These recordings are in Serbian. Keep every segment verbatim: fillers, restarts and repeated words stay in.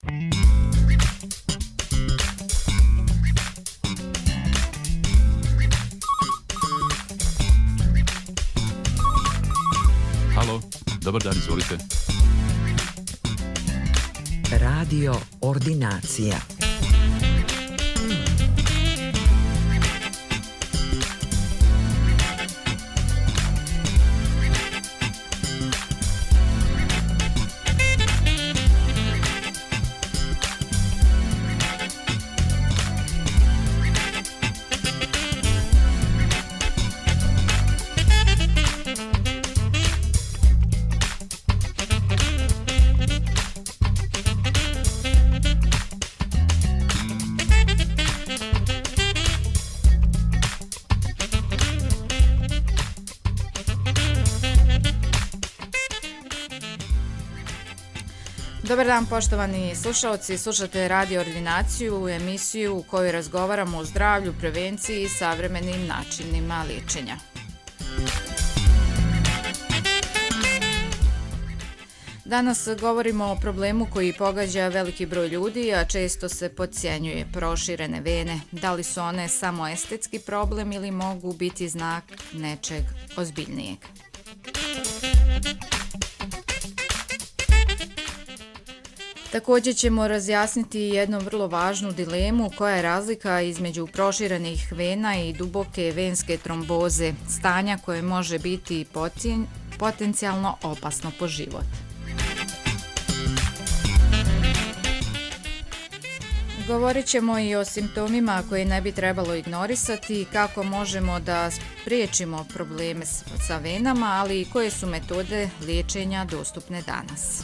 Halo, dobar dan, izvolite. Radio Ordinacija. Dobar dan, poštovani slušalci, slušate Radio Ordinaciju, emisiju u kojoj razgovaramo o zdravlju, prevenciji i savremenim načinima liječenja. Danas govorimo o problemu koji pogađa veliki broj ljudi, a često se podcjenjuje: proširene vene. Da li su one samo estetski problem ili mogu biti znak nečeg ozbiljnijeg? Također ćemo razjasniti jednu vrlo važnu dilemu: koja je razlika između proširenih vena i duboke venske tromboze, stanja koje može biti potencijalno opasno po život. Govorit ćemo i o simptomima koje ne bi trebalo ignorisati, kako možemo da spriječimo probleme sa venama, ali i koje su metode liječenja dostupne danas.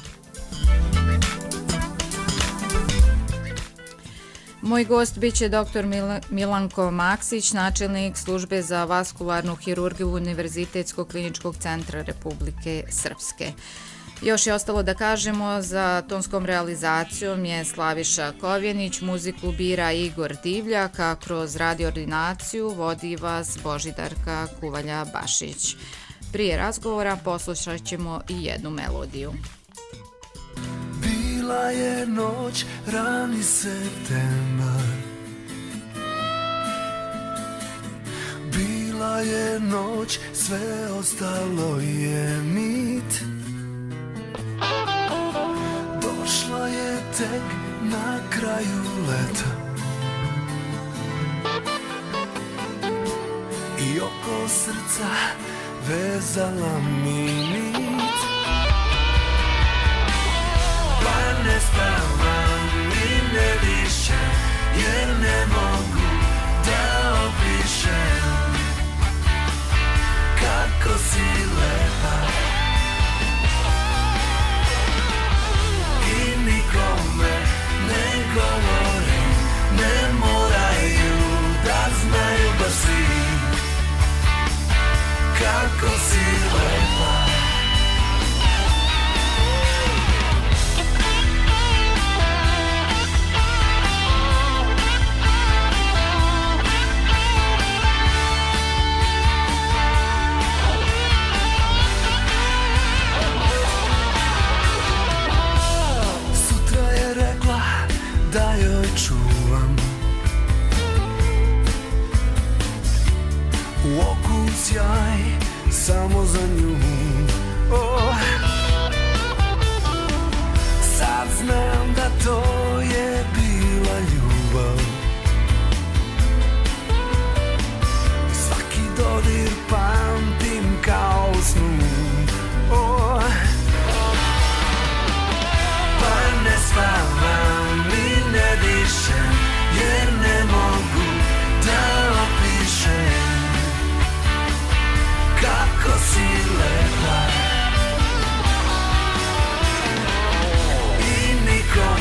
Moj gost bit će doktor Milanko Maksić, načelnik službe za vaskularnu hirurgiju Univerzitetskog kliničkog centra Republike Srpske. Još je ostalo da kažemo, za tonskom realizacijom je Slaviša Kovjenić, muziku bira Igor Divljak, a kroz Radio Ordinaciju vodi vas Božidarka Kuvalja-Bašić. Prije razgovora poslušat ćemo i jednu melodiju. Bila je noć, rani septembar. Bila je noć, sve ostalo je mit. Došla je tek na kraju leta i oko srca vezala mi nit. Pa ne spavam i ne dišem, jer ne mogu da opišem kako si lepa. I nikome ne govorim, ne moraju da znaju baš svi kako si lepa. Da joj čuvam u oku sjaj samo za nju. Oh. Sad znam da to je bila ljubav. Svaki dodir pamtim kao u snu. Oh. Pa ne spavam i ne dišem, jer ne mogu da opišem kako si lepa. I nikom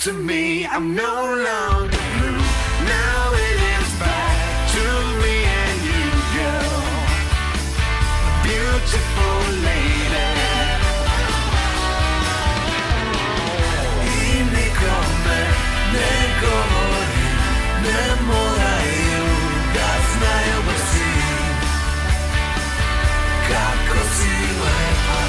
to me, I'm no longer blue. Now it is back to me and you, girl, beautiful lady. I nikome ne govori, ne moraju da znaju da si, kako si lepa.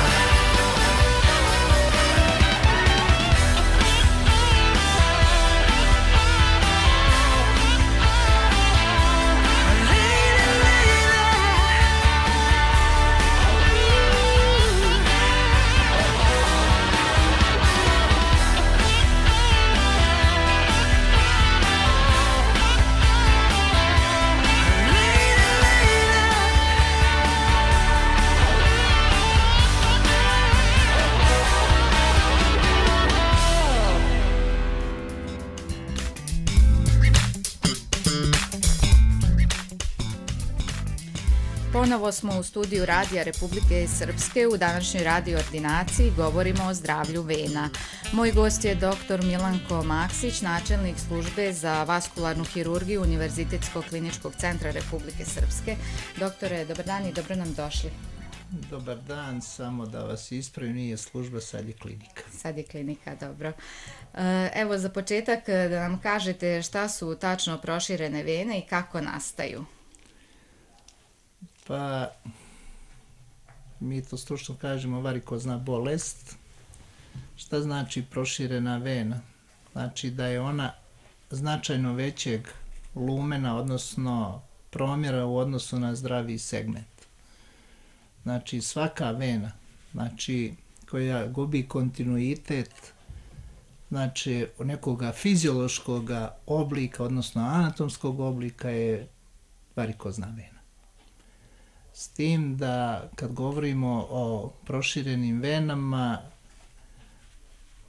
Ponovo smo u studiju Radija Republike Srpske. U današnjoj radio ordinaciji govorimo o zdravlju vena. Moj gost je doktor Milanko Maksić, načelnik službe za vaskularnu hirurgiju Univerzitetskog kliničkog centra Republike Srpske. Doktore, dobar dan i dobro nam došli. Dobar dan, samo da vas ispravim, nije služba, sad je klinika. Sad je klinika, dobro. Evo za početak da nam kažete šta su tačno proširene vene i kako nastaju. Pa, mi to stručno kažemo varikozna bolest. Šta znači proširena vena? Znači da je ona značajno većeg lumena, odnosno promjera u odnosu na zdravi segment. Znači svaka vena, znači koja gubi kontinuitet, znači nekoga fiziološkog oblika, odnosno anatomskog oblika je varikozna vena. S tim da kad govorimo o proširenim venama,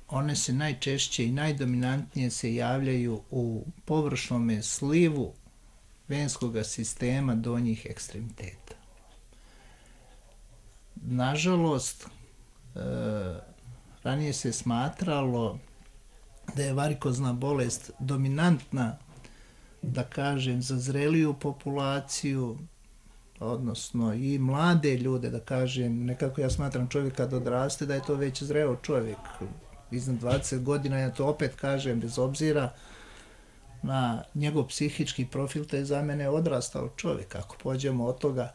one se najčešće i najdominantnije se javljaju u površnom slivu venskog sistema donjih ekstremiteta. Nažalost, e, ranije se smatralo da je varikozna bolest dominantna, da kažem, za zreliju populaciju, odnosno i mlade ljude, da kažem, nekako ja smatram čovjek kad odraste da je to već zreo čovjek. Iznad dvadeset godina, ja to opet kažem, bez obzira na njegov psihički profil, to je za mene odrastao čovjek. Ako pođemo od toga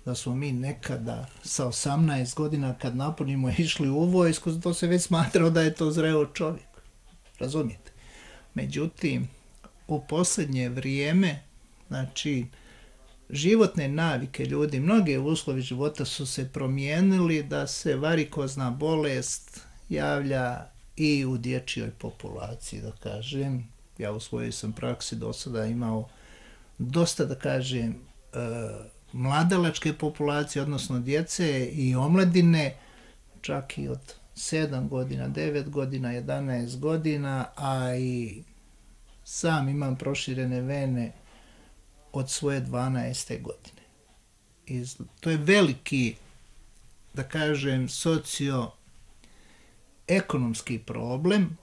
da smo mi nekada sa osamnaest godina kad napunimo išli u vojsku, to se već smatrao da je to zreo čovjek. Razumijete? Međutim, u posljednje vrijeme, znači, životne navike ljudi, mnoge uslovi života su se promijenili da se varikozna bolest javlja i u dječjoj populaciji, da kažem. Ja u svojoj sam praksi do sada imao dosta, da kažem, mladalačke populacije, odnosno djece i omladine, čak i od sedam godina, devet godina, jedanaest godina, a i sam imam proširene vene od svoje dvanaeste godine. I to je veliki, da kažem, socioekonomski problem.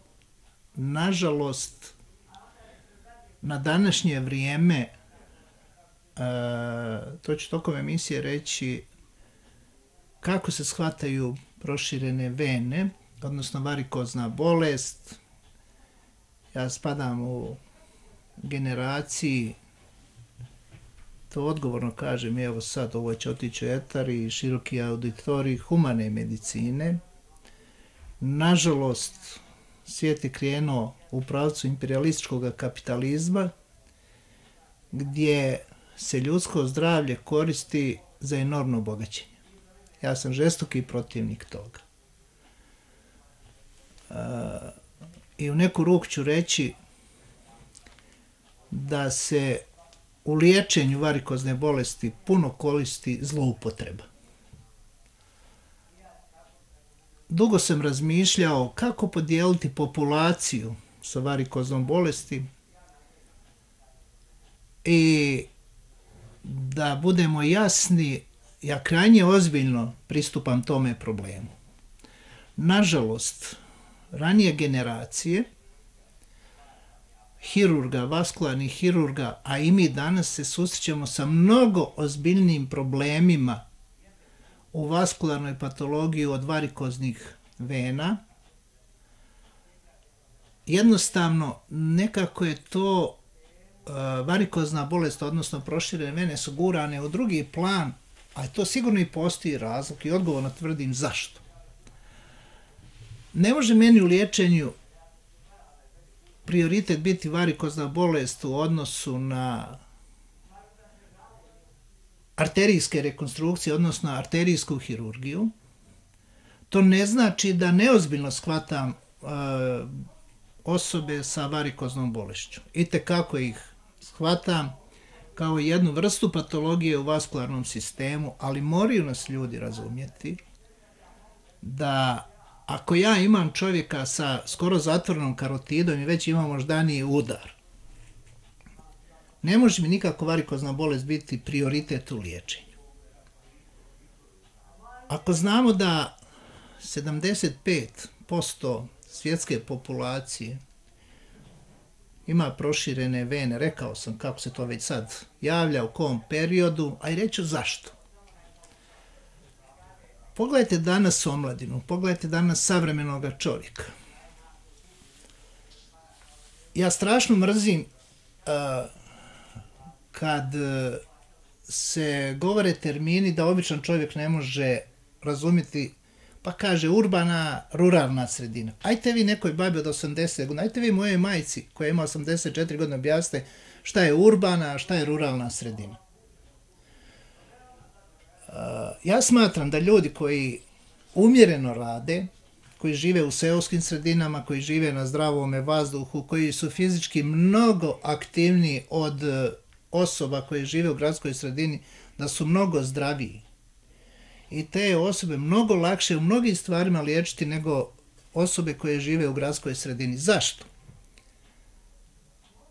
Nažalost, na današnje vrijeme, to ću tokom emisije reći, kako se shvataju proširene vene, odnosno varikozna bolest. Ja spadam u generaciji, to odgovorno kažem, evo sad, ovo će otići u etar i široki auditorij humane medicine. Nažalost, svijet je krenuo u pravcu imperialističkog kapitalizma, gdje se ljudsko zdravlje koristi za enormno bogaćenje. Ja sam žestoki protivnik toga. I u neku ruku ću reći da se u liječenju varikozne bolesti puno koristi zloupotreba. Dugo sam razmišljao kako podijeliti populaciju sa varikoznom bolesti i da budemo jasni, ja krajnje ozbiljno pristupam tome problemu. Nažalost, ranije generacije hirurga, vaskularnih hirurga, a i mi danas se susrećemo sa mnogo ozbiljnim problemima u vaskularnoj patologiji od varikoznih vena. Jednostavno, nekako je to uh, varikozna bolest, odnosno proširene vene su gurane u drugi plan, a to sigurno i postoji razlog i odgovorno tvrdim zašto. Ne može meni u liječenju prioritet biti varikozna bolest u odnosu na arterijske rekonstrukcije, odnosno arterijsku hirurgiju. To ne znači da neozbiljno shvatam uh, osobe sa varikoznom bolešću. Itekako ih shvatam kao jednu vrstu patologije u vaskularnom sistemu, ali moraju nas ljudi razumjeti da ako ja imam čovjeka sa skoro zatvorenom karotidom i već imam moždani udar, ne može mi nikako varikozna bolest biti prioritet u liječenju. Ako znamo da sedamdeset pet posto svjetske populacije ima proširene vene, rekao sam kako se to već sad javlja, u kom periodu, a i reću zašto. Pogledajte danas omladinu, pogledajte danas savremenog čovjeka. Ja strašno mrzim uh, kad uh, se govore termini da običan čovjek ne može razumjeti, pa kaže urbana, ruralna sredina. Ajte vi nekoj babi od osamdeset godina, ajte vi mojoj majci koja ima osamdeset četiri godine objasnite šta je urbana, a šta je ruralna sredina. Uh, ja smatram da ljudi koji umjereno rade, koji žive u seoskim sredinama, koji žive na zdravome vazduhu, koji su fizički mnogo aktivniji od osoba koje žive u gradskoj sredini, da su mnogo zdraviji. I te osobe mnogo lakše u mnogim stvarima liječiti nego osobe koje žive u gradskoj sredini. Zašto?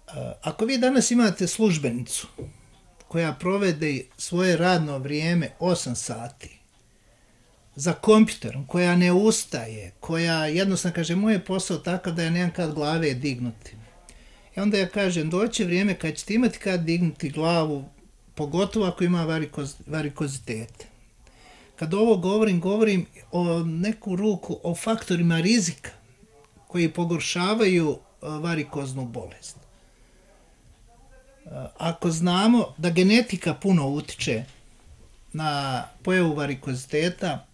Uh, ako vi danas imate službenicu koja provede svoje radno vrijeme osam sati za kompjuterom, koja ne ustaje, koja jednostavno kaže moj je posao takav da ja nemam kad glave dignuti. I onda ja kažem doće vrijeme kad ćete imati kad dignuti glavu, pogotovo ako ima varikoz, varikozitete. Kad ovo govorim, govorim o neku ruku o faktorima rizika koji pogoršavaju varikoznu bolest. Ako znamo da genetika puno utiče na pojavu varikoziteta,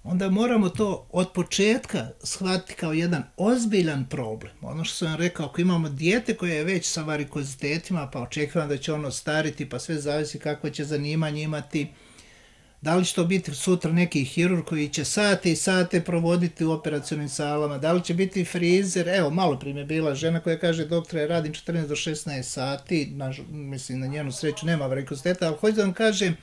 onda moramo to od početka shvatiti kao jedan ozbiljan problem. Ono što sam vam rekao, ako imamo dijete koje je već sa varikozitetima, pa očekujem da će ono stariti, pa sve zavisi kako će zanimanje imati, da li će to biti sutra neki hirurg koji će sate i sate provoditi u operacionim salama, da li će biti frizer, evo malo prije je bila žena koja kaže doktore radim četrnaest do šesnaest sati, na, mislim na njenu sreću nema varikoziteta, ali hoću da vam kažem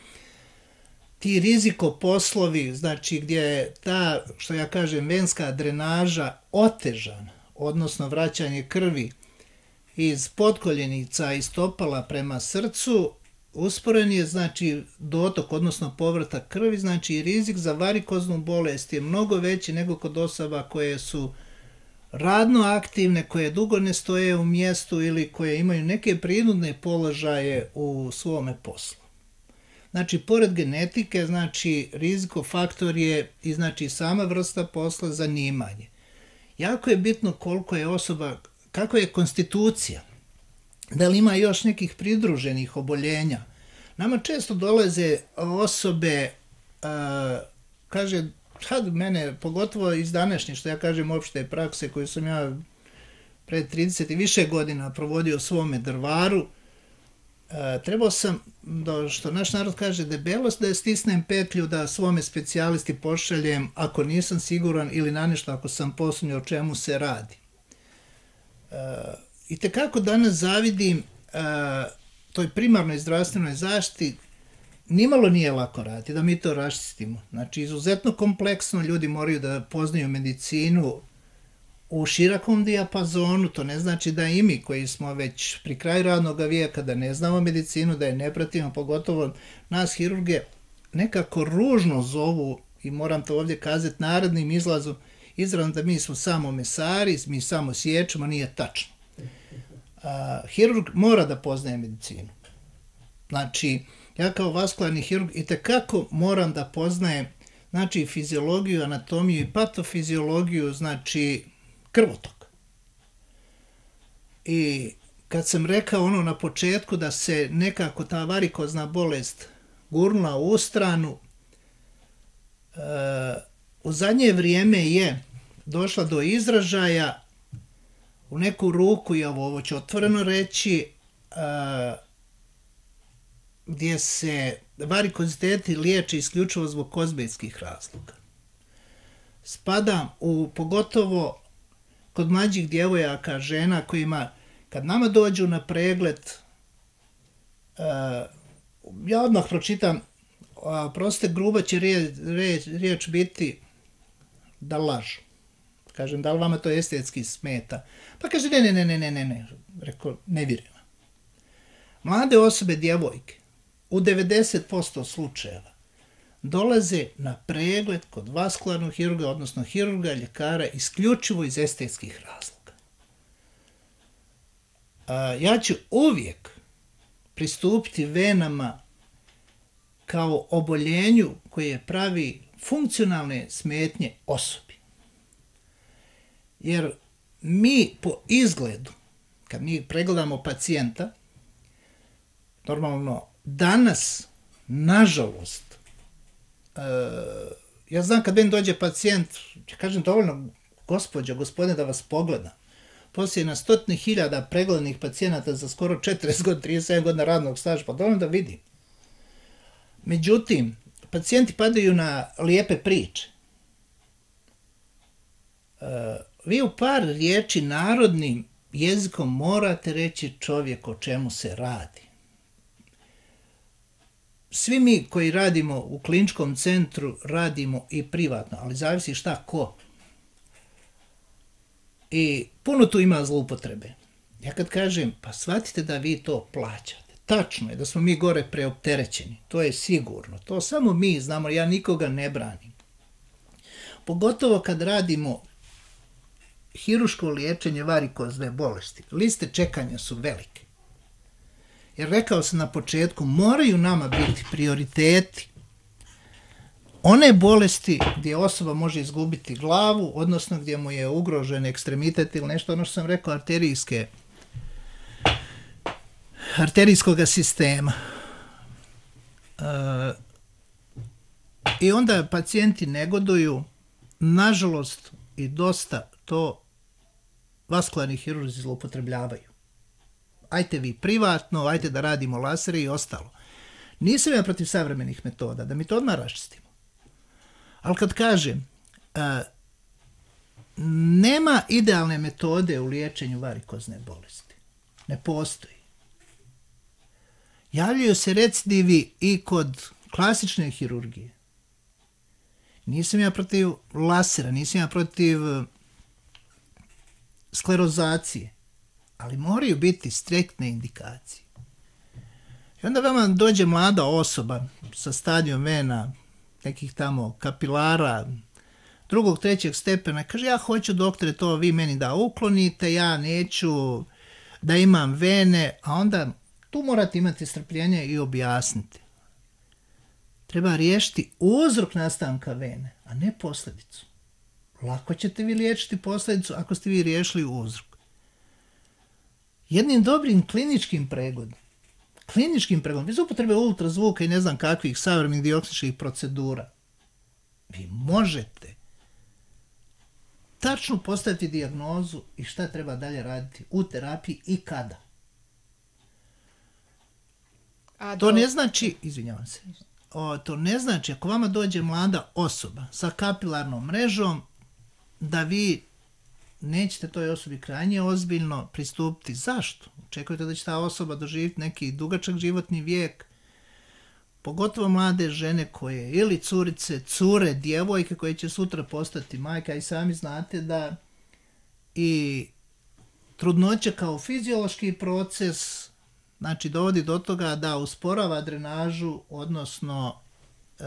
ti riziko poslovi, znači gdje je ta, što ja kažem, venska drenaža otežana, odnosno vraćanje krvi iz potkoljenica i stopala prema srcu, usporen je znači dotok, odnosno povratak krvi, znači rizik za varikoznu bolest je mnogo veći nego kod osoba koje su radno aktivne, koje dugo ne stoje u mjestu ili koje imaju neke prinudne položaje u svome poslu. Znači, pored genetike, znači rizikofaktor je i znači sama vrsta posla, zanimanje. Jako je bitno koliko je osoba, kakva je konstitucija, da li ima još nekih pridruženih oboljenja. Nama često dolaze osobe, uh, kaže, sad mene, pogotovo iz današnje, što ja kažem, opšte prakse koju sam ja pred trideset i više godina provodio u svome Drvaru, uh, trebao sam, da, što naš narod kaže, debelost, da stisnem petlju da svome specijalisti pošaljem ako nisam siguran ili na nešto ako sam posumnjao o čemu se radi. Uh, I tekako danas zavidim uh, toj primarnoj zdravstvenoj zaštiti, nimalo nije lako raditi, da mi to raščistimo. Znači, izuzetno kompleksno, ljudi moraju da poznaju medicinu u širokom dijapazonu, to ne znači da i mi koji smo već pri kraju radnog vijeka, da ne znamo medicinu, da je ne pratimo, pogotovo nas hirurge, nekako ružno zovu, i moram to ovdje kazati narodnim izrazom, izrazom da mi smo samo mesari, mi samo sječemo, nije tačno. A, hirurg mora da poznaje medicinu. Znači, ja kao vaskularni hirurg itekako moram da poznajem, znači, fiziologiju, anatomiju i patofiziologiju, znači, krvotok. I kad sam rekao ono na početku da se nekako ta varikozna bolest gurnula u stranu, e, u zadnje vrijeme je došla do izražaja u neku ruku, i ovo, ovo ću otvoreno reći, e, gdje se varikoziteti liječe isključivo zbog kozmetskih razloga. Spadam u, pogotovo kod mlađih djevojaka, žena kojima, kad nama dođu na pregled, uh, ja odmah pročitam, uh, proste gruba će riječ, riječ, riječ biti da lažu. Kažem, da li vama to estetski smeta? Pa kaže, ne, ne, ne, ne, ne, ne, ne. Rekao, ne vjerujem. Mlade osobe, djevojke, u devedeset posto slučajeva dolaze na pregled kod vaskularnog hirurga, odnosno hirurga, ljekara, isključivo iz estetskih razloga. A, ja ću uvijek pristupiti venama kao oboljenju koje pravi funkcionalne smetnje osobi. Jer mi po izgledu, kad mi pregledamo pacijenta, normalno danas, nažalost, e, ja znam kad meni dođe pacijent, ja kažem dovoljno, gospođo, gospodine, da vas pogledam. Poslije na stotine hiljada pregledanih pacijenata za skoro četrdeset godina, trideset sedam godina radnog staža, pa dovoljno da vidim. Međutim, pacijenti padaju na lijepe priče. E, vi u par riječi narodnim jezikom morate reći čovjek o čemu se radi. Svi mi koji radimo u kliničkom centru radimo i privatno, ali zavisi šta ko. I puno tu ima zloupotrebe. Ja kad kažem, pa shvatite da vi to plaćate. Tačno je da smo mi gore preopterećeni, to je sigurno. To samo mi znamo, ja nikoga ne branim. Pogotovo kad radimo hiruško liječenje varikozne bolesti. Liste čekanja su velike. Jer rekao sam na početku, moraju nama biti prioriteti one bolesti gdje osoba može izgubiti glavu, odnosno gdje mu je ugrožen ekstremitet ili nešto, ono što sam rekao, arterijske, arterijskog sistema. E, I onda pacijenti negoduju, nažalost, i dosta to vaskularni hirurzi zloupotrebljavaju. Ajte vi privatno, ajte da radimo lasere i ostalo. Nisam ja protiv savremenih metoda, da mi to odmah raščistimo. Ali kad kažem, a, nema idealne metode u liječenju varikozne bolesti. Ne postoji. Javljaju se recidivi i kod klasične hirurgije. Nisam ja protiv lasera, nisam ja protiv sklerozacije, ali moraju biti striktne indikacije. I onda vama dođe mlada osoba sa stadijom vena, nekih tamo kapilara, drugog, trećeg stepena, kaže, ja hoću, doktore, to vi meni da uklonite, ja neću da imam vene, a onda tu morate imati strpljenje i objasniti. Treba riješiti uzrok nastanka vene, a ne posljedicu. Lako ćete vi liječiti posljedicu ako ste vi riješili uzrok. Jednim dobrim kliničkim pregledom, kliničkim pregledom, bez upotrebe ultrazvuka i ne znam kakvih savremenih dijagnostičkih procedura, vi možete tačno postaviti dijagnozu i šta treba dalje raditi u terapiji i kada. A to do... ne znači, izvinjavam se, o, to ne znači ako vama dođe mlada osoba sa kapilarnom mrežom, da vi nećete toj osobi krajnje ozbiljno pristupiti. Zašto? Očekujete da će ta osoba doživjeti neki dugačak životni vijek, pogotovo mlade žene koje, ili curice, cure, djevojke koje će sutra postati majka, i sami znate da i trudnoća kao fiziološki proces, znači dovodi do toga da usporava drenažu, odnosno e,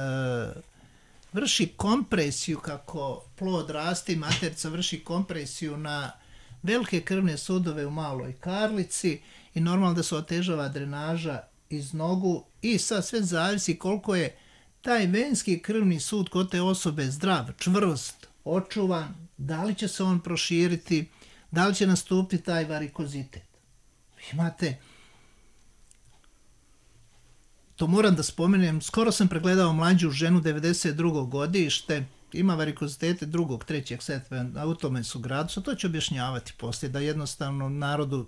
vrši kompresiju kako plod raste i materica vrši kompresiju na velike krvne sudove u maloj karlici i normalno da se otežava drenaža iz nogu i sad sve zavisi koliko je taj venski krvni sud kod te osobe zdrav, čvrst, očuvan, da li će se on proširiti, da li će nastupiti taj varikozitet. Imate, to moram da spomenem, skoro sam pregledao mlađu ženu, devedeset drugo godište, ima varikozitete drugog, trećeg setva, u tome su gradusa, to ću objašnjavati poslije, da jednostavno narodu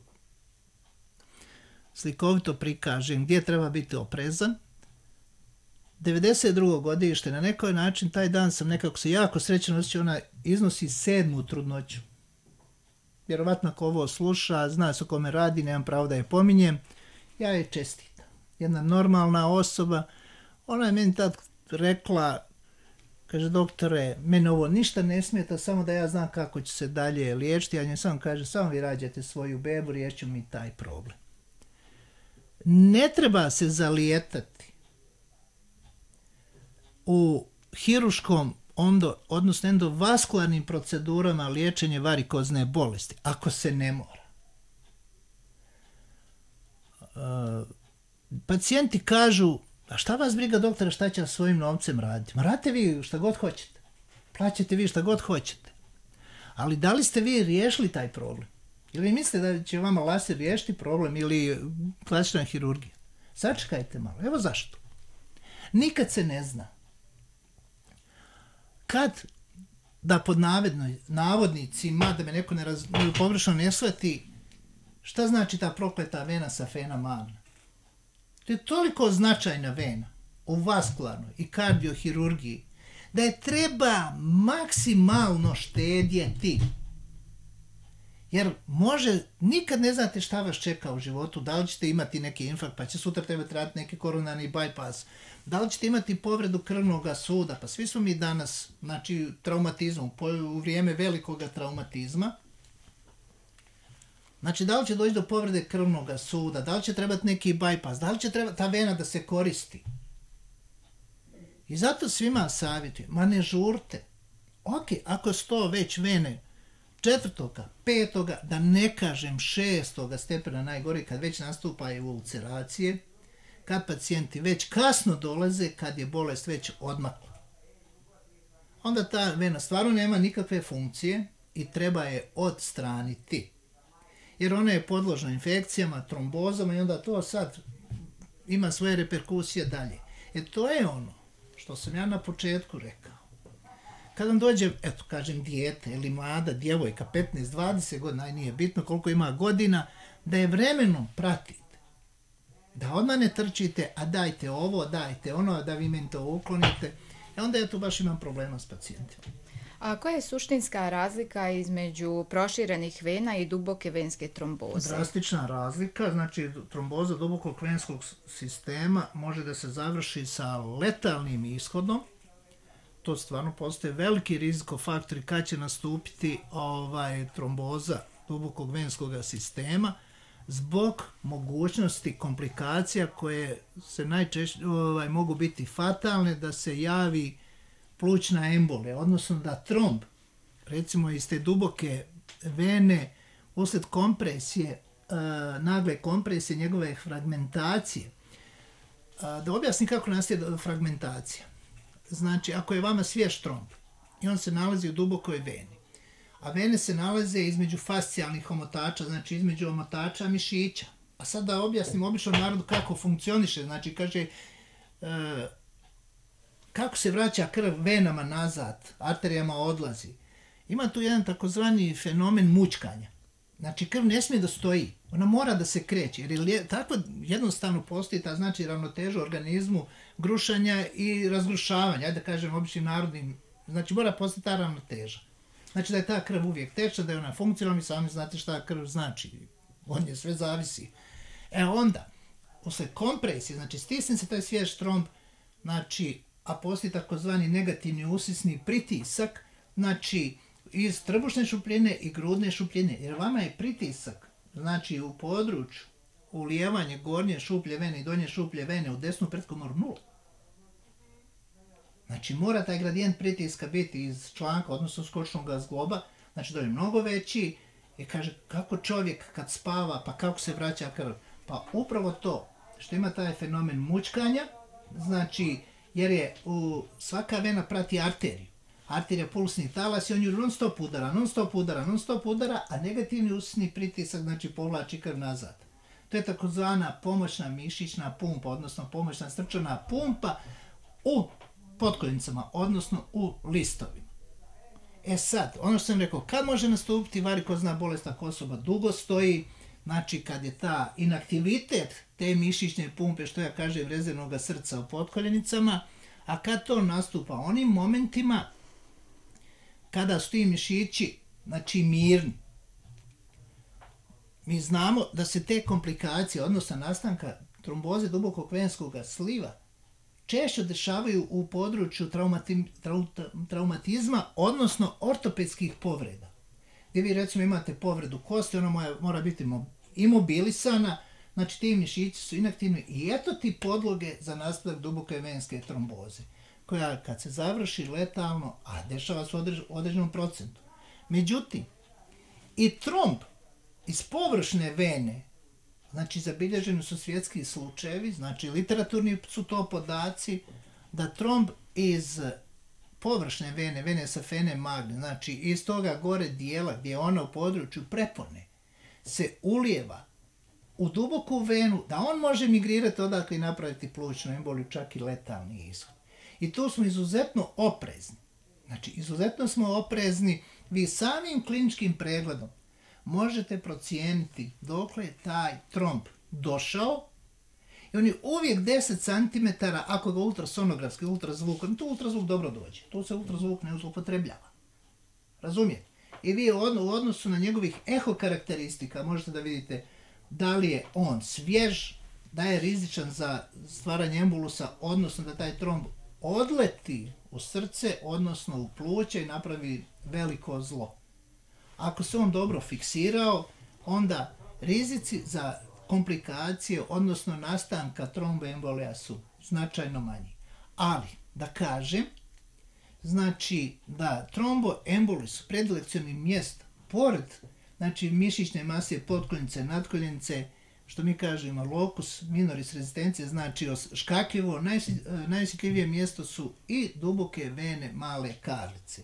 slikovito prikažem gdje treba biti oprezan. devedeset drugo godište, na nekoj način taj dan sam nekako se jako srećan osjećao, ona iznosi sedmu trudnoću. Vjerovatno ako ovo sluša, zna se o kome radi, nemam pravo da je pominjem, ja je čestitam. Jedna normalna osoba, ona je meni tad rekla, kaže, doktore, meni ovo ništa ne smeta, samo da ja znam kako će se dalje liječiti, a nje samo kaže, samo vi rađate svoju bebu, riješću mi taj problem. Ne treba se zalijetati u hiruškom, ondo, odnosno endovaskularnim procedurama liječenje varikozne bolesti, ako se ne mora. Uh, pacijenti kažu, a šta vas briga doktore, šta će svojim novcem raditi? Ma radite vi šta god hoćete. Plaćate vi šta god hoćete. Ali da li ste vi riješili taj problem? Ili mislite da će vama laser riješiti problem ili klasična hirurgija? Sačekajte malo. Evo zašto. Nikad se ne zna. Kad, da pod navednoj, navodnicima, da me neko ne raz, pogrešno ne shvati, šta znači ta prokleta vena safena magna? To je toliko značajna vena u vaskularnoj i kardiohirurgiji da je treba maksimalno štedjeti. Jer može, nikad ne znate šta vas čeka u životu, da li ćete imati neki infarkt, pa će sutra trebati raditi neki koronarni bypass, da li ćete imati povredu krvnog suda, pa svi smo mi danas, znači traumatizmom, u vrijeme velikoga traumatizma, znači da li će doći do povrede krvnog suda, da li će trebati neki bypass, da li će trebati ta vena da se koristi. I zato svima savjetujem, ma ne žurte. Ok, ako su to već vene četvrtoga, petoga, da ne kažem šestoga stepena najgori, kad već nastupaju ulceracije, kad pacijenti već kasno dolaze, kad je bolest već odmakla. Onda ta vena stvarno nema nikakve funkcije i treba je odstraniti. Jer ona je podložna infekcijama, trombozama i onda to sad ima svoje reperkusije dalje. E to je ono što sam ja na početku rekao. Kad vam dođe, eto kažem, dijete ili mlada djevojka, petnaest dvadeset godina, aj nije bitno koliko ima godina, da je vremenom pratite. Da odmah ne trčite, a dajte ovo, dajte ono, da vi meni to uklonite. I onda ja tu baš imam problema s pacijentima. A koja je suštinska razlika između proširenih vena i duboke venske tromboze? Drastična razlika, znači tromboza dubokog venskog sistema može da se završi sa letalnim ishodom. To stvarno postoje veliki rizikofaktori kad će nastupiti ovaj, tromboza dubokog venskog sistema zbog mogućnosti komplikacija koje se najčešće ovaj, mogu biti fatalne, da se javi plućna embolija, odnosno da tromb, recimo iz te duboke vene, usled kompresije, e, nagle kompresije, njegove fragmentacije. E, da objasnim kako nastaje fragmentacija. Znači, ako je vama svjež tromb i on se nalazi u dubokoj veni, a vene se nalaze između fascijalnih omotača, znači između omotača mišića. A sad da objasnim običnom narodu kako funkcioniše, znači kaže, e, kako se vraća krv venama nazad, arterijama odlazi. Ima tu jedan takozvani fenomen mućkanja. Znači krv ne smije da stoji, ona mora da se kreće, jer je, tako jednostavno postoji ta znači ravnoteža u organizmu grušanja i razgrušavanja, ajde da kažem običnim narodnim, znači mora postati ta ravnoteža. Znači da je ta krv uvijek tečna, da je ona funkcionalna, mi sami znate šta krv znači, on je sve zavisi. E onda, usled kompresije, znači stisne se taj svjež tromb, znači, a postoji takozvani negativni usisni pritisak, znači iz trbušne šupljine i grudne šupljine, jer vama je pritisak, znači u području ulijevanje gornje šuplje vene i donje šuplje vene u desnu pretkomoru nula. Znači mora taj gradijent pritiska biti iz članka, odnosno skočnog zgloba, znači da je mnogo veći I kaže, kako čovjek kad spava, pa kako se vraća krv? Pa upravo to, što ima taj fenomen mućkanja, znači, jer je u, svaka vena prati arteriju. Arterija pulsni talas i on ju non stop udara, non stop udara, non stop udara, a negativni usni pritisak, znači, povlači krv nazad. To je takozvana pomoćna mišićna pumpa, odnosno pomoćna srčana pumpa u potkoljenicama, odnosno u listovima. E sad, ono što sam rekao, kad može nastupiti varikozna bolest ako osoba dugo stoji, znači kad je ta inaktivitet te mišićne pumpe, što ja kažem, rezervnog srca u potkoljenicama, a kad to nastupa onim momentima kada su ti mišići, znači, mirni. Mi znamo da se te komplikacije, odnosno nastanka tromboze dubokog venskog sliva, češće dešavaju u području traumati, trau, traumatizma, odnosno ortopedskih povreda. Gdje vi recimo imate povredu kosti, ona mora, mora biti imobilisana, znači ti mišići su inaktivni i eto ti podloge za nastavak duboke venske tromboze, koja kad se završi letalno, a dešava se u odrež, određenom procentu. Međutim, i tromb iz površne vene, znači zabilježeni su svjetski slučajevi, znači literaturni su to podaci, da tromb iz površne vene, vene safene magne, znači iz toga gore dijela gdje je ona u području prepone, se ulijeva u duboku venu, da on može migrirati odakle i napraviti plućnu emboliju, čak i letalni ishod. I tu smo izuzetno oprezni. Znači, izuzetno smo oprezni, vi samim kliničkim pregledom možete procijeniti dokle je taj tromb došao i on je uvijek deset centimetara ako ga ultrasonografski, ultrazvukom, tu ultrazvuk dobro dođe, tu se ultrazvuk ne upotrebljava. Razumijete? I vi u odnosu na njegovih eho karakteristika možete da vidite da li je on svjež, da je rizičan za stvaranje embolusa, odnosno da taj tromb odleti u srce, odnosno u pluća i napravi veliko zlo. Ako se on dobro fiksirao, onda rizici za komplikacije, odnosno nastanka tromboembolija su značajno manji. Ali, da kažem, znači da tromboemboli su predilekcioni mjesta, pored znači, mišićne mase potkoljenice, nadkoljenice, što mi kažemo locus minoris rezistencije, znači škakljivo, najosjetljivije mjesto su i duboke vene male karlice.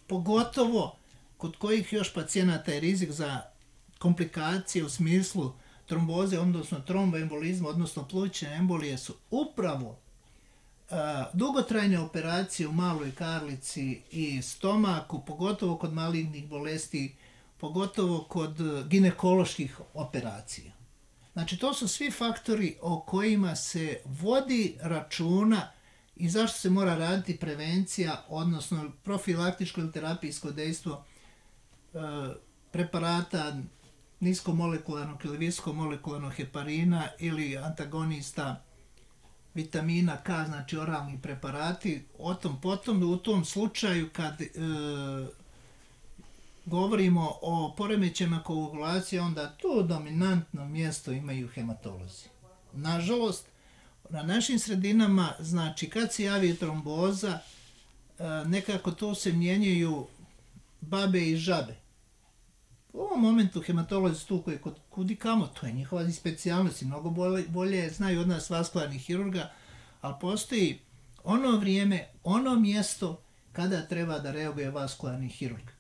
Pogotovo kod kojih još pacijenata je rizik za komplikacije u smislu tromboze, odnosno tromboembolizma, odnosno plućne embolije su upravo uh, dugotrajne operacije u maloj karlici i stomaku, pogotovo kod malignih bolesti, pogotovo kod ginekoloških operacija. Znači, to su svi faktori o kojima se vodi računa i zašto se mora raditi prevencija, odnosno profilaktičko ili terapijsko dejstvo e, preparata niskomolekularnog ili viskomolekularnog heparina ili antagonista vitamina K, znači oralni preparati. O tom potom, u tom slučaju kad e, govorimo o poremećajima koagulacije, onda to dominantno mjesto imaju hematolozi. Nažalost, na našim sredinama, znači kad se javi tromboza, nekako to se mijenjaju babe i žabe. U ovom momentu hematolozi tu koji kod kudikamo, to je njihova specijalnost i mnogo bolje, bolje znaju od nas vaskularnih hirurga, ali postoji ono vrijeme, ono mjesto kada treba da reaguje vaskularni hirurg.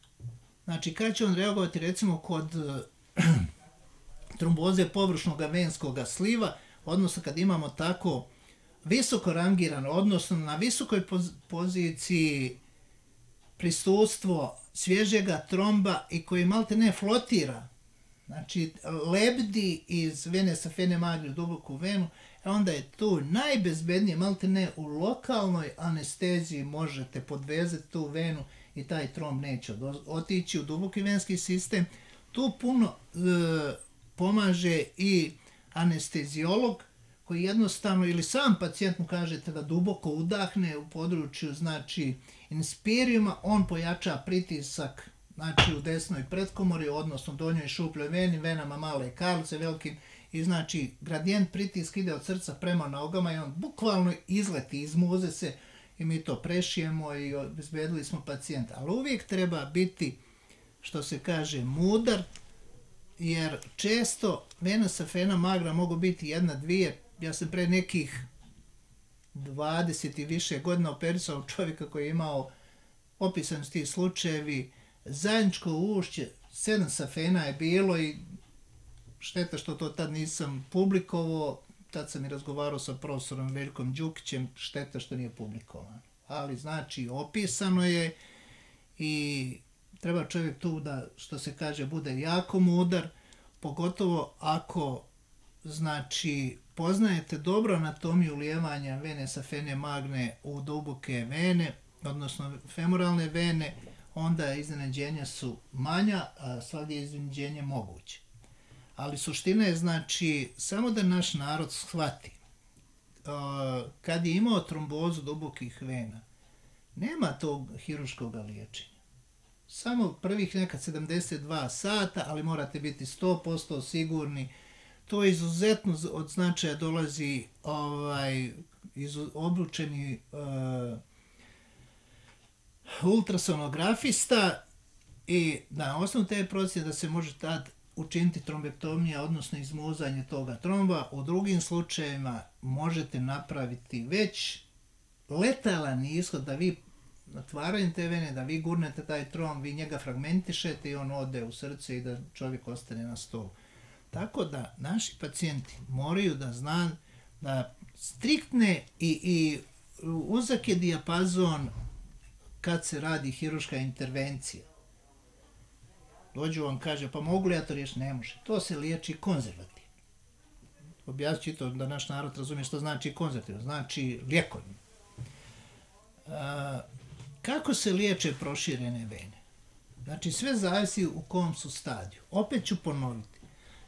Znači, kada će on reagovati recimo kod tromboze površnog venskog sliva, odnosno kad imamo tako visoko rangirano, odnosno na visokoj poz- poziciji prisustvo svježega tromba i koji malte ne flotira, znači lebdi iz vene safene magli u duboku venu, onda je tu najbezbednije, malte ne u lokalnoj anesteziji možete podvezati tu venu i taj tromb neće otići u duboki venski sistem. Tu puno e, pomaže i anesteziolog koji jednostavno, ili sam pacijent mu kažete da duboko udahne u području, znači inspirijuma, on pojača pritisak, znači u desnoj pretkomori, odnosno donjoj šupljoj veni, venama male karlice, velikim, i znači gradijent pritisk ide od srca prema nogama i on bukvalno izleti, izmuze se i mi to prešijemo i obezbedili smo pacijenta. Ali uvijek treba biti, što se kaže, mudar, jer često vena safena magra mogu biti jedna, dvije. Ja sam pre nekih dvadeset i više godina operisao čovjeka koji je imao, opisan su ti slučajevi, zajedničko ušće, sedam safena je bilo i šteta što to tad nisam publikovao, tad sam i razgovarao sa profesorom Veljkom Đukićem, šteta što nije publikovan. Ali znači opisano je i treba čovjek tu da, što se kaže, bude jako mudar, pogotovo ako znači poznajete dobro anatomiju ulijevanja vene safene magne u duboke vene, odnosno femoralne vene, onda iznenađenja su manja, a svakdje je iznenađenje moguće. Ali suština je znači samo da naš narod shvati. Kad je imao trombozu dubokih vena, nema tog hirurškog liječenja. Samo prvih nekad sedamdeset dva sata, ali morate biti sto posto sigurni. To je izuzetno od značaja, dolazi ovaj, izu, obučeni uh, ultrasonografista i na osnovu te procjene da se može tad učiniti trombektomija, odnosno izmuzanje toga tromba. U drugim slučajevima možete napraviti već letalan ishod da vi otvaranjem te vene, da vi gurnete taj tromb, vi njega fragmentišete i on ode u srce i da čovjek ostane na stolu. Tako da naši pacijenti moraju da zna da striktne i, i uzak je dijapazon kad se radi hirurška intervencija. Dođu vam, kaže, pa mogu li ja to riješiti? Ne može. To se liječi konzervativno. Objasnit to da naš narod razumije što znači konzervativno. Znači lijekovno. Kako se liječe proširene vene? Znači sve zavisi u kom su stadiju. Opet ću ponoviti.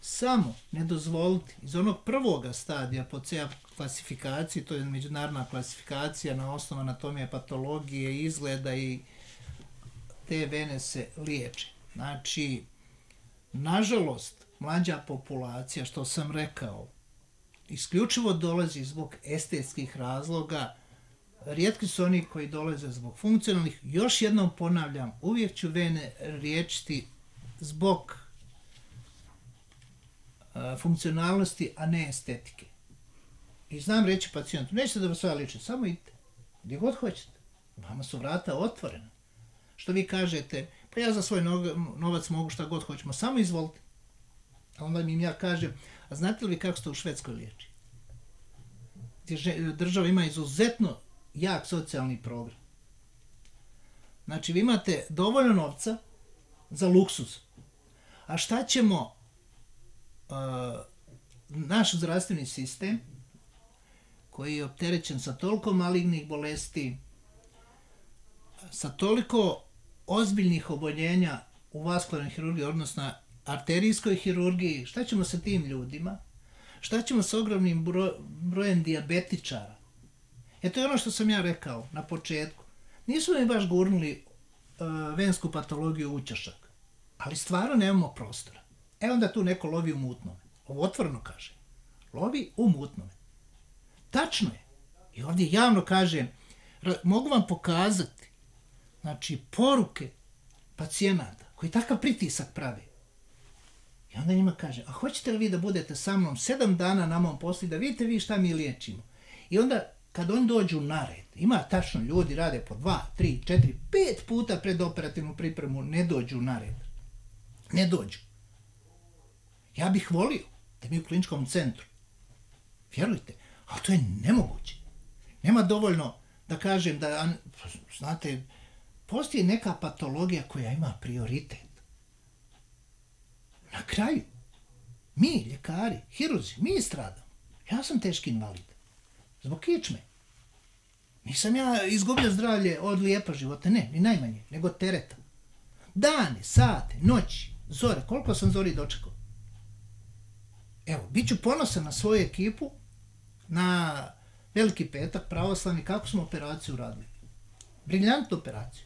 Samo ne dozvoliti iz onog prvoga stadija po C A klasifikaciji, to je međunarodna klasifikacija na osnovu anatomije, patologije, izgleda i te vene se liječe. Znači, nažalost, mlađa populacija, što sam rekao, isključivo dolazi zbog estetskih razloga, rijetki su oni koji dolaze zbog funkcionalnih. Još jednom ponavljam, uvijek ću vene liječiti zbog a, funkcionalnosti, a ne estetike. I znam reći pacijentu, nećete da vas sve liječi, samo idite, gdje god hoćete. Vama su vrata otvorena. Što vi kažete, pa ja za svoj novac mogu šta god hoćemo, samo izvolite. A onda mi ja kažem, a znate li vi kako ste u Švedskoj liječi? Gdje država ima izuzetno jak socijalni program. Znači, vi imate dovoljno novca za luksuz. A šta ćemo, uh, naš zdravstveni sistem, koji je opterećen sa toliko malignih bolesti, sa toliko ozbiljnih oboljenja u vaskularnoj hirurgiji, odnosno arterijskoj hirurgiji, šta ćemo sa tim ljudima? Šta ćemo sa ogromnim bro, brojem dijabetičara? E to je ono što sam ja rekao na početku. Nisu mi baš gurnuli uh, vensku patologiju u ćošak, ali stvarno nemamo prostora. E onda tu neko lovi u mutnome. Ovo otvoreno kaže. Lovi u mutnome. Tačno je. I ovdje javno kažem, mogu vam pokazati, znači, poruke pacijenata koji takav pritisak prave. I onda njima kaže, a hoćete li vi da budete sa mnom sedam dana na mom poslu da vidite vi šta mi liječimo? I onda kad oni dođu na red, ima tačno ljudi rade po dva, tri, četiri, pet puta pred operativnu pripremu, ne dođu na red. Ne dođu. Ja bih volio da mi u kliničkom centru, vjerujte, a to je nemoguće. Nema dovoljno da kažem da, znate, postoji neka patologija koja ima prioritet. Na kraju, mi, ljekari, hirurzi, mi stradamo. Ja sam teški invalid. Zbog kičme. Nisam ja izgubio zdravlje od lijepa života, ne, ni najmanje, nego tereta. Dane, sate, noći, zore, koliko sam zori dočekao. Evo, bit ću ponosan na svoju ekipu, na Veliki petak, pravoslavni, kako smo operaciju radili. Briljantnu operaciju.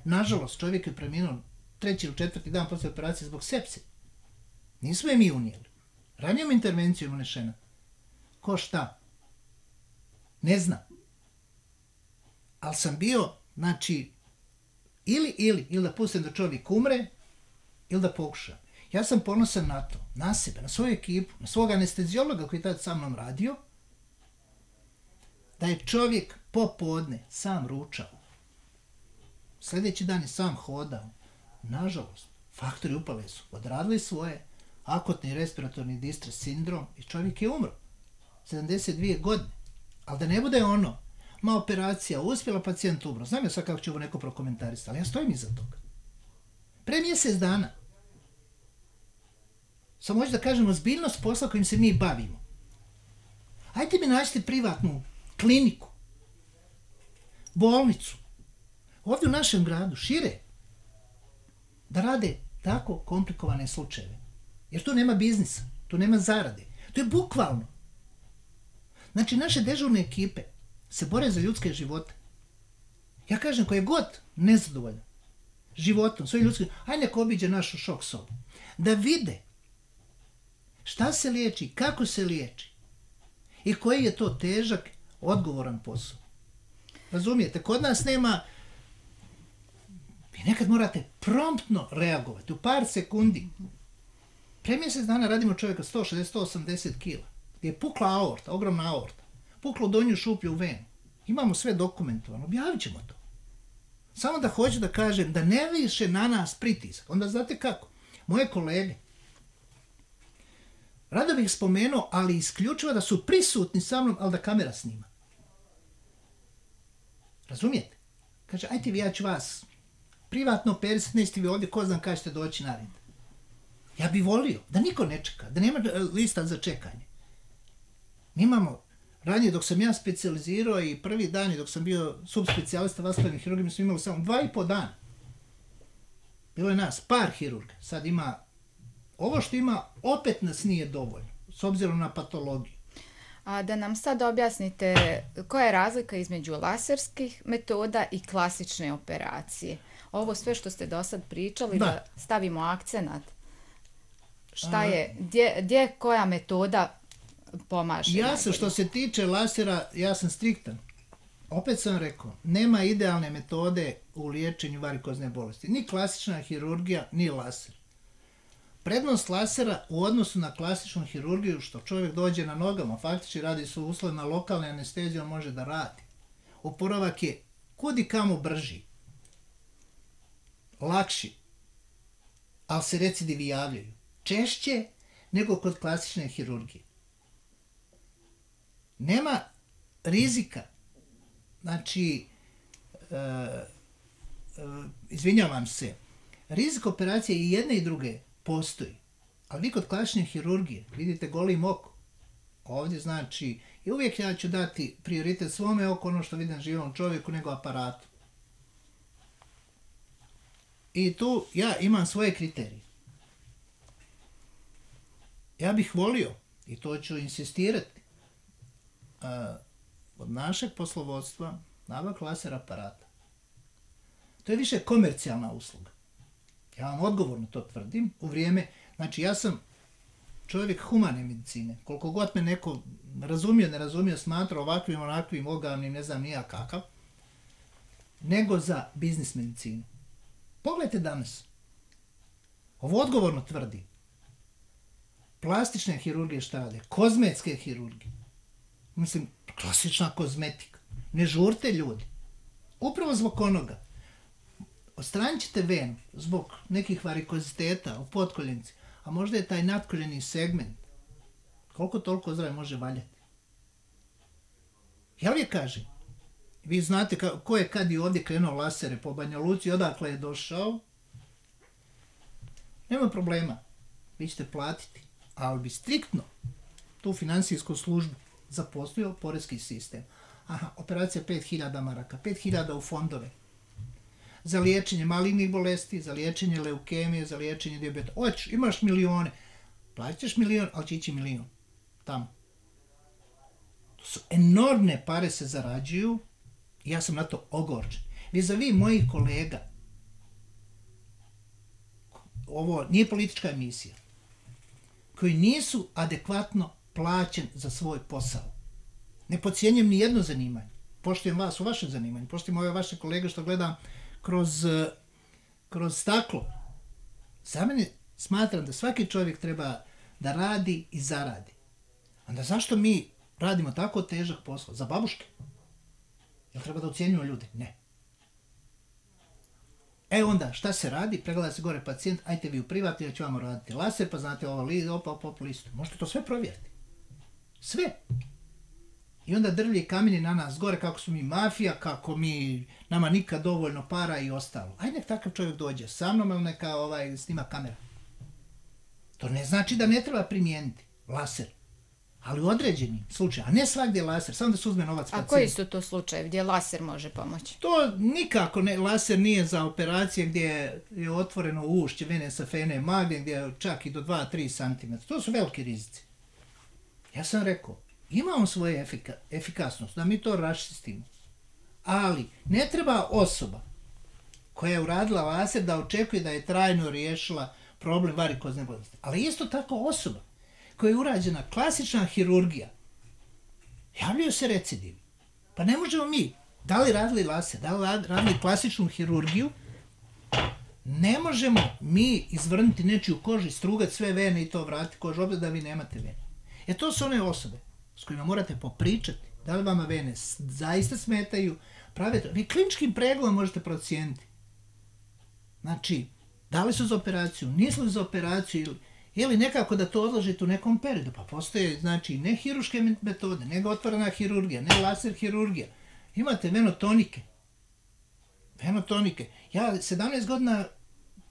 Nažalost, čovjek je preminuo treći ili četvrti dan posle operacije zbog sepse. Nismo je mi unijeli. Ranijom intervencijom unešena. Ko šta? Ne znam. Ali sam bio, znači, ili, ili, ili da pustim da čovjek umre, ili da pokušam. Ja sam ponosan na to, na sebe, na svoju ekipu, na svog anestezijologa koji je tad sa mnom radio, da je čovjek popodne sam ručao. Sljedeći dan je sam hodao. Nažalost, faktori upale su odradili svoje, akutni respiratorni distres sindrom i čovjek je umro. sedamdeset dvije godine. Ali da ne bude ono, ma operacija uspjela, pacijent umro. Znam ja sad kako će ovo neko prokomentarisati, ali ja stojim iza toga. Pre mjesec dana. Samo hoću da kažem ozbiljnost posla kojim se mi bavimo. Ajde mi nađite privatnu kliniku, bolnicu, ovdje u našem gradu, šire, da rade tako komplikovane slučajeve. Jer tu nema biznisa, tu nema zarade. To je bukvalno. Znači, naše dežurne ekipe se bore za ljudske živote. Ja kažem, ko je god nezadovoljan životom, svojim ljudskim, aj neko obiđe našu šok sobu. Da vide šta se liječi, kako se liječi i koji je to težak, odgovoran posao. Razumijete, kod nas nema, vi nekad morate promptno reagovati, u par sekundi. Pre mjesec dana radimo čovjeka sto šezdeset do sto osamdeset kila, gdje je pukla aorta, ogromna aorta, puklo donju šuplju u venu. Imamo sve dokumentovano, objavit ćemo to. Samo da hoću da kažem da ne više na nas pritisak. Onda znate kako? Moje kolege, rado bih spomenuo, ali isključivo da su prisutni sa mnom, ali da kamera snima. Razumijete? Kaže, ajte vi, ja ću vas privatno operisati, niste vi ovdje, ko znam kada ćete doći na red. Ja bih volio da niko ne čeka, da nema lista za čekanje. Mi imamo, ranije dok sam ja specijalizirao i prvi dan i dok sam bio subspecijalista vaskularnih hirurga, mi smo imali samo dva i po dana. Bilo je nas par hirurga, sad ima, ovo što ima, opet nas nije dovoljno, s obzirom na patologiju. A da nam sad objasnite koja je razlika između laserskih metoda i klasične operacije. Ovo sve što ste do sad pričali, da, da stavimo akcenat. Šta je, gdje, gdje koja metoda pomaže? Ja sam, što se tiče lasera, ja sam striktan. Opet sam rekao, nema idealne metode u liječenju varikozne bolesti. Ni klasična hirurgija, ni laser. Prednost lasera u odnosu na klasičnu hirurgiju, što čovjek dođe na nogama, faktički radi su uslovna lokalne anestezije, on može da radi. Oporavak je kudi kamo brži, lakši, ali se recidivi javljaju češće nego kod klasične hirurgije. Nema rizika, znači, e, e, izvinjavam se, rizik operacije i jedne i druge postoji, ali vi kod klasične hirurgije vidite golim oko. Ovdje znači, i uvijek ja ću dati prioritet svome oko ono što vidim živom čovjeku nego aparatu. I tu ja imam svoje kriterije. Ja bih volio, i to ću insistirati, uh, od našeg poslovodstva nabavka laser aparata. To je više komercijalna usluga. Ja vam odgovorno to tvrdim u vrijeme, znači ja sam čovjek humane medicine, koliko god me neko razumio, ne razumio, smatra ovakvim, onakvim, ogavnim, ne znam nija kakav, nego za biznis medicinu. Pogledajte danas, ovo odgovorno tvrdi, plastične hirurgije šta rade, kozmetske hirurgije, mislim, klasična kozmetika, ne žurte ljudi, upravo zbog onoga, odstranit ćete venu zbog nekih varikoziteta u potkoljenci, a možda je taj natkoljeni segment koliko toliko zdrave može valjati. Ja uvijek kažem, vi znate ka, ko je kad i ovdje krenuo lasere po Banja Luci, odakle je došao, nema problema, vi ćete platiti, ali bi striktno tu finansijsku službu zaposlio porezki sistem. Aha, operacija pet hiljada maraka, pet hiljada u fondove, za liječenje malignih bolesti, za liječenje leukemije, za liječenje dijabeta. Oć, imaš milione, platit ćeš milion, ali će ići milion tamo. To su enormne pare se zarađuju i ja sam na to ogorčen. Vis-a-vis mojih kolega, ovo nije politička emisija, koji nisu adekvatno plaćen za svoj posao. Ne podcjenjujem ni jedno zanimanje. Poštujem vas u vašem zanimanju, poštujem ove vaše kolege što gledam kroz, kroz staklo. Za mene Smatram da svaki čovjek treba da radi i zaradi. Onda zašto mi radimo tako težak posao? Za babuške? Jel treba da ucijenjujemo ljude? Ne. E onda, šta se radi? Pregleda se gore pacijent, ajte vi u privatni, ja ću vam raditi laser, pa znate ovo li, opa, opa, opa, listu. Možete to sve provjeriti. Sve. I onda drvlje i kameni na nas gore kako su mi mafija, kako mi, nama nikad dovoljno para i ostalo. Aj nek takav čovjek dođe sa mnom, ili neka ovaj, snima kamera. To ne znači da ne treba primijeniti laser. Ali u određenim slučajima, a ne svakdje laser, samo da se uzme novac pacijentu. A koji su to slučajevi gdje laser može pomoći? To nikako ne, laser nije za operacije gdje je otvoreno ušće vene sa fene magne, gdje je čak i do dva do tri centimetra. To su veliki rizici. Ja sam rekao, imamo svoje efika, efikasnost, da mi to raščistimo. Ali ne treba osoba koja je uradila laser da očekuje da je trajno riješila problem varikozne bolesti. Ali isto tako osoba koja je urađena klasična hirurgija, javljaju se recidivi. Pa ne možemo mi, da li radili laser, da li radili klasičnu hirurgiju, ne možemo mi izvrnuti nečiju kožu, strugati sve vene i to vratiti kožu, opet da vi nemate vene. E to su one osobe s kojima morate popričati, da li vama vene zaista smetaju, pravite, vi kliničkim pregledom možete procijeniti. Znači, da li su za operaciju, nisu li za operaciju, ili, ili nekako da to odložite u nekom periodu, pa postoje, znači, ne hiruške metode, nego otvorena hirurgija, ne laser hirurgija. Imate venotonike. Venotonike. Ja sedamnaest godina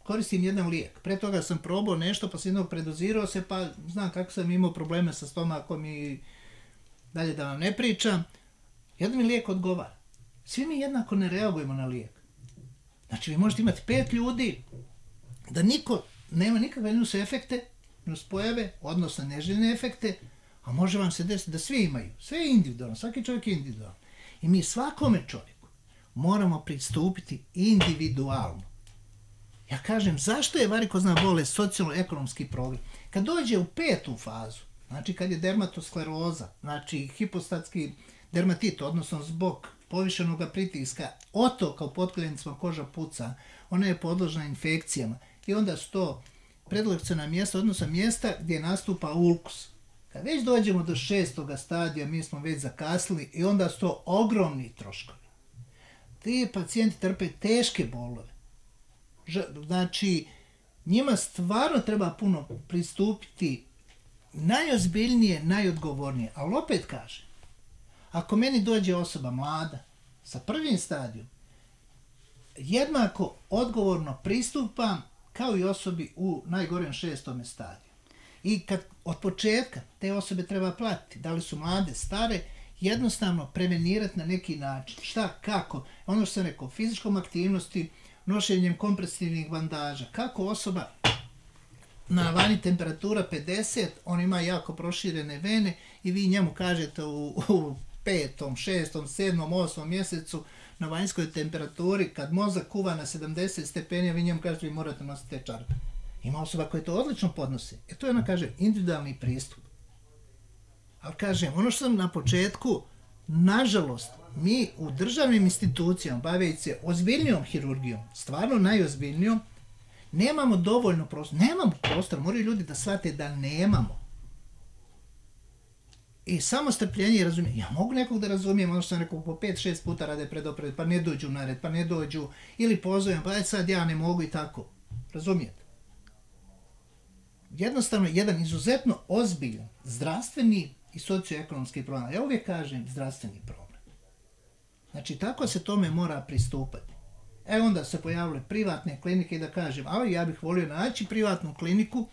koristim jedan lijek. Pre toga sam probao nešto, pa sam jednog predozirao se, pa znam kako sam imao probleme sa stomakom i dalje da vam ne pričam. Jedan mi lijek odgovara. Svi mi jednako ne reagujemo na lijek. Znači, vi možete imati pet ljudi, da niko nema nikakve minus efekte, minus pojave, odnosno neželjene efekte, a može vam se desiti da svi imaju. Sve je individualno, svaki čovjek je individualno. I mi svakome čovjeku moramo pristupiti individualno. Ja kažem, zašto je varikozna bolest socijalno-ekonomski problem? Kad dođe u petu fazu, znači kad je dermatoskleroza, znači hipostatski dermatit, odnosno zbog povišenog pritiska, otoka u potkoljenicama, koža puca, ona je podložna infekcijama i onda su to predlekciona mjesta, odnosno mjesta gdje nastupa ulkus. Kad već dođemo do šestoga stadija, mi smo već zakasnili i onda su to ogromni troškovi. Ti pacijenti trpe teške bolove. Znači, njima stvarno treba puno pristupiti najozbiljnije, najodgovornije. Ali opet kažem, ako meni dođe osoba mlada sa prvim stadijom, jednako odgovorno pristupam kao i osobi u najgorem šestome stadiju. I kad od početka te osobe treba platiti, da li su mlade, stare, jednostavno prevenirati na neki način. Šta, kako? Ono što sam rekao, fizičkom aktivnosti, nošenjem kompresivnih bandaža. Kako osoba na vani temperatura pedeset, on ima jako proširene vene i vi njemu kažete u, u petom, šestom, sedmom, osmom mjesecu na vanjskoj temperaturi, kad mozak kuva na sedamdeset stepeni, vi njemu kažete vi morate nositi te čarape. Ima osoba koja to odlično podnosi. E to je, ona kaže, individualni pristup. Ali kažem, ono što sam na početku, nažalost, mi u državnim institucijama, baveći se ozbiljnijom hirurgijom, stvarno najozbiljnijom, nemamo dovoljno prostora. Nemamo prostora, moraju ljudi da shvate da nemamo. I samo strpljenje i razumijem. Ja mogu nekog da razumijem, ono što sam rekao, po pet šest puta rade predopred, pa ne dođu na red, pa ne dođu, ili pozovem, pa sad ja ne mogu i tako. Razumijete? Jednostavno, jedan izuzetno ozbiljan zdravstveni i socioekonomski problem. Ja uvijek kažem zdravstveni problem. Znači, tako se tome mora pristupati. E onda se pojavile privatne klinike i da kažem, ali ja bih volio naći privatnu kliniku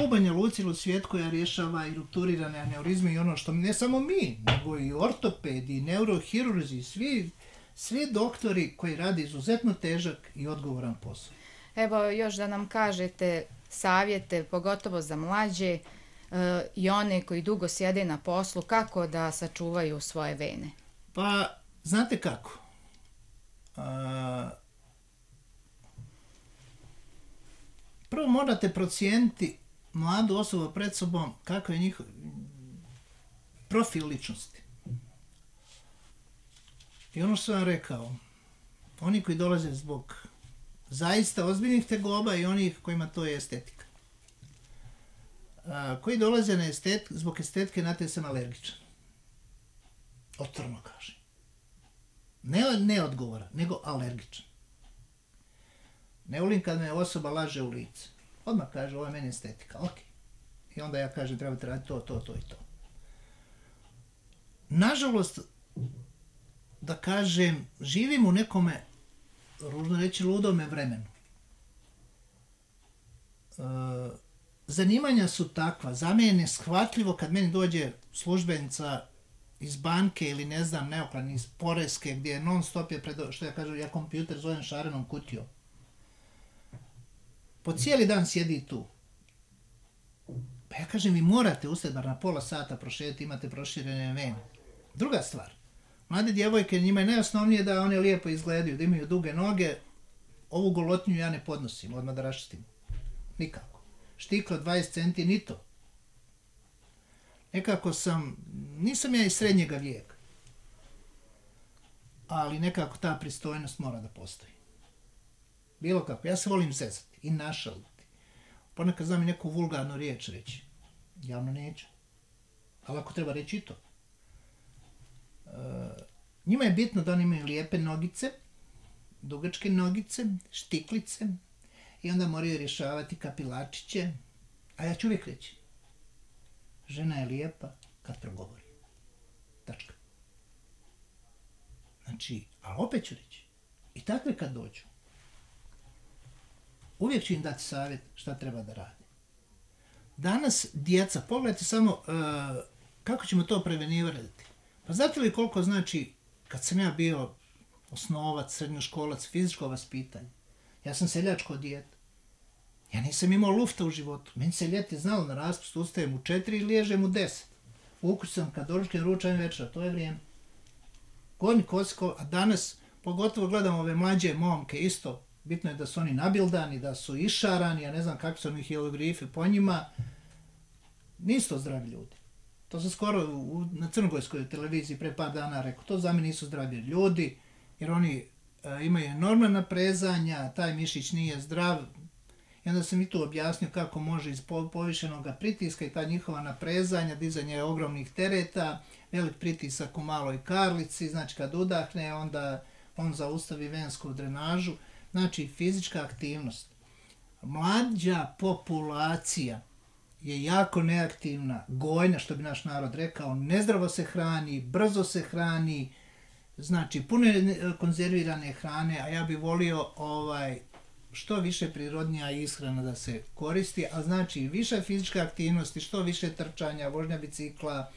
u Banja Luci ili u svijetu koja rješava i rupturirane aneurizme i ono što ne samo mi, nego i ortopedi, i neurohirurzi, svi, svi doktori koji rade izuzetno težak i odgovoran posao. Evo još da nam kažete savjete, pogotovo za mlađe uh, i one koji dugo sjede na poslu, kako da sačuvaju svoje vene? Pa, znate kako? A, prvo morate procijeniti mladu osobu pred sobom kako je njihov profil ličnosti. I ono što sam vam rekao, oni koji dolaze zbog zaista ozbiljnih tegoba i onih kojima to je estetika. A, koji dolaze na estet, zbog estetike, na te sam alergičan. Otvorno kažem. Ne, ne odgovora, nego alergičan. Ne volim kad me osoba laže u lice. Odmah kaže, ovo je meni estetika, ok. I onda ja kažem, trebate raditi to, to, to i to. Nažalost, da kažem, živim u nekome, ružno reći, ludome vremenu. E, zanimanja su takva, za mene je neshvatljivo kad meni dođe službenica iz banke ili ne znam, neoklan, iz poreske, gdje je non stop je pred, što ja kažem, ja kompjuter zovem šarenom kutijom. Po cijeli dan sjedi tu. Pa ja kažem, vi morate ustati bar na pola sata prošetiti, imate proširene vene. Druga stvar, mlade djevojke, njima je najosnovnije da one lijepo izgledaju, da imaju duge noge, ovu golotnju ja ne podnosim, odmah da raščistim. Nikako. Štiklo dvadeset centi, ni to. Nekako sam, nisam ja iz srednjega vijeka, ali nekako ta pristojnost mora da postoji. Bilo kako, ja se volim zezati i našaliti. Ponekad znam i neku vulgarnu riječ reći. Javno neću. Ali ako treba reći i to. E, njima je bitno da oni imaju lijepe nogice, dugačke nogice, štiklice i onda moraju rješavati kapilačiće. A ja ću uvijek reći, žena je lijepa kad progovori. Tačka. Znači, a opet ću reći, i takve kad dođu, uvijek ću im dati savjet šta treba da radi. Danas djeca, pogledajte samo uh, kako ćemo to prevenirati. Pa znate li koliko znači, kad sam ja bio osnovac, srednjoškolac, fizičko vaspitanje, ja sam seljačko dijete. Ja nisam imao lufta u životu. Meni se ljeti znalo na raspust, ustajem u četiri i liježem u deset. U kući sam kad doručkem, ručam večera, to je vrijeme. Gornji kosiko, a danas pogotovo gledam ove mlađe momke isto. Bitno je da su oni nabildani, da su išarani, ja ne znam kakvi su oni hieroglifi po njima. Nisu to zdravi ljudi. To sam skoro u, na crnogorskoj televiziji pre par dana rekao. To za mene nisu zdravi ljudi, jer oni e, imaju enormna naprezanja, taj mišić nije zdrav. I onda sam i tu objasnio kako može iz povišenog pritiska i ta njihova naprezanja, dizanje ogromnih tereta, velik pritisak u maloj karlici, znači kad udahne, onda on zaustavi vensku drenažu. Znači, fizička aktivnost. Mlađa populacija je jako neaktivna, gojna, što bi naš narod rekao, nezdravo se hrani, brzo se hrani, znači, puno je konzervirane hrane, a ja bih volio ovaj, što više prirodnija ishrana da se koristi, a znači, više fizičke aktivnosti, što više trčanja, vožnja bicikla,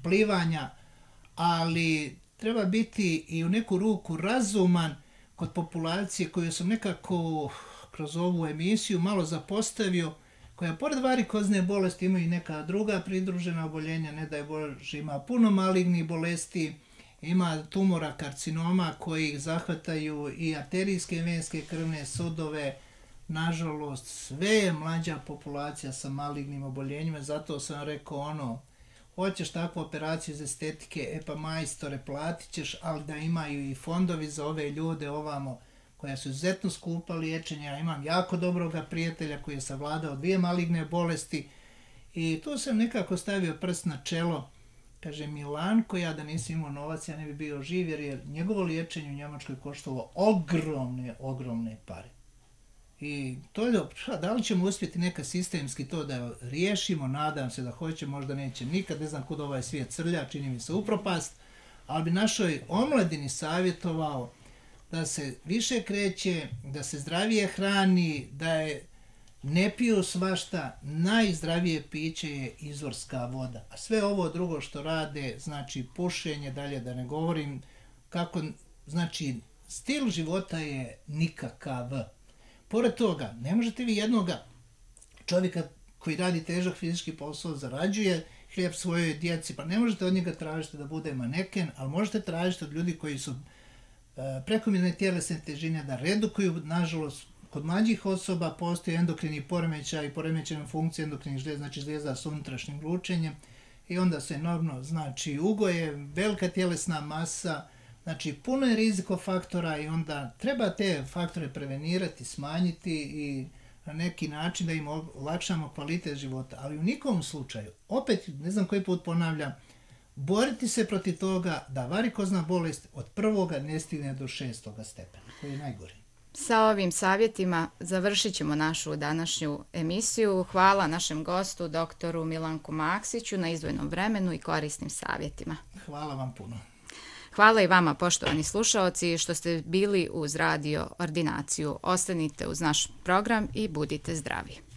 plivanja, ali treba biti i u neku ruku razuman kod populacije koju sam nekako kroz ovu emisiju malo zapostavio, koja pored varikozne bolesti ima i neka druga pridružena oboljenja, ne daj Bože, ima puno malignih bolesti, ima tumora, karcinoma koji zahvataju i arterijske, venske, krvne sudove. Nažalost, sve je mlađa populacija sa malignim oboljenjima, zato sam rekao ono, hoćeš takvu operaciju iz estetike, e pa majstore, platit ćeš, ali da imaju i fondovi za ove ljude ovamo, koja su izuzetno skupa liječenja. Imam jako dobroga prijatelja koji je savladao dvije maligne bolesti i tu sam nekako stavio prst na čelo. Kaže, Milanko, ja da nisam imao novac, ja ne bi bio živ, jer je njegovo liječenje u Njemačkoj koštalo ogromne, ogromne pare. I to je dobro, da li ćemo uspjeti neka sistemski to da riješimo, nadam se da hoće, možda neće nikad, ne znam kud ovaj svijet crlja, čini mi se upropast, ali bi našoj omladini savjetovao da se više kreće, da se zdravije hrani, da je ne piju svašta, najzdravije piće je izvorska voda. A sve ovo drugo što rade, znači pušenje, dalje da ne govorim, kako, znači stil života je nikakav. Pored toga, ne možete vi jednoga čovjeka koji radi težak fizički posao, zarađuje hljeb svojoj djeci, pa ne možete od njega tražiti da bude maneken, ali možete tražiti od ljudi koji su e, prekomjerne tjelesne težine da redukuju. Nažalost, kod mlađih osoba postoji endokrini poremećaj i poremećena funkcija endokrinih žlijeza, znači žlijeza s unutrašnjim lučenjem, i onda se enormno, znači, ugoje, velika tjelesna masa, Znači, puno je rizikofaktora i onda treba te faktore prevenirati, smanjiti i na neki način da im olakšamo kvalitet života. Ali u nikom slučaju, opet, ne znam koji put ponavljam, boriti se protiv toga da varikozna bolest od prvoga ne stigne do šestoga stepena, koji je najgori. Sa ovim savjetima završit ćemo našu današnju emisiju. Hvala našem gostu, doktoru Milanku Maksiću, na izdvojenom vremenu i korisnim savjetima. Hvala vam puno. Hvala i vama, poštovani slušaoci, što ste bili uz Radio Ordinaciju. Ostanite uz naš program i budite zdravi.